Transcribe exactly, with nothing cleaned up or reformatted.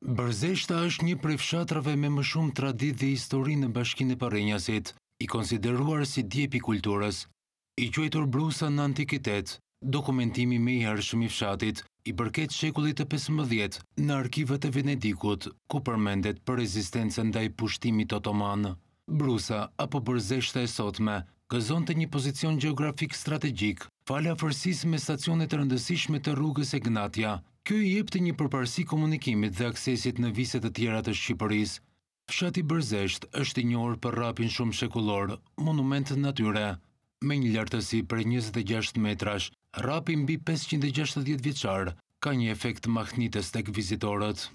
Bërzeshta është një prej fshatrave me më shumë traditë dhe histori në Bashkinë e Përrenjasit, i konsideruar si djepi i kulturës. I quajtur Brusa në antikitet, dokumentimi më i hershëm i fshatit i përket shekullit të pesëmbëdhjetë në arkivat e Venedikut, ku përmendet për rezistencën ndaj pushtimit otoman. Brusa apo Bërzeshta e sotme gëzonte një pozicion gjeografik strategjik, falë afërsisë me stacionet e rëndësishme të rrugës Egnatia. Kjo i jepte një përparësi komunikimit dhe aksesit në vise të tjera të Shqipërisë. Fshati Bërzesht është i njohur për rrapin shumëshekullor, monument natyre. Me një lartësi prej njëzet e gjashtë metrash, rrapi mbi pesëqind e gjashtëdhjetë vjeçar ka një efekt mahnitës tek vizitorët.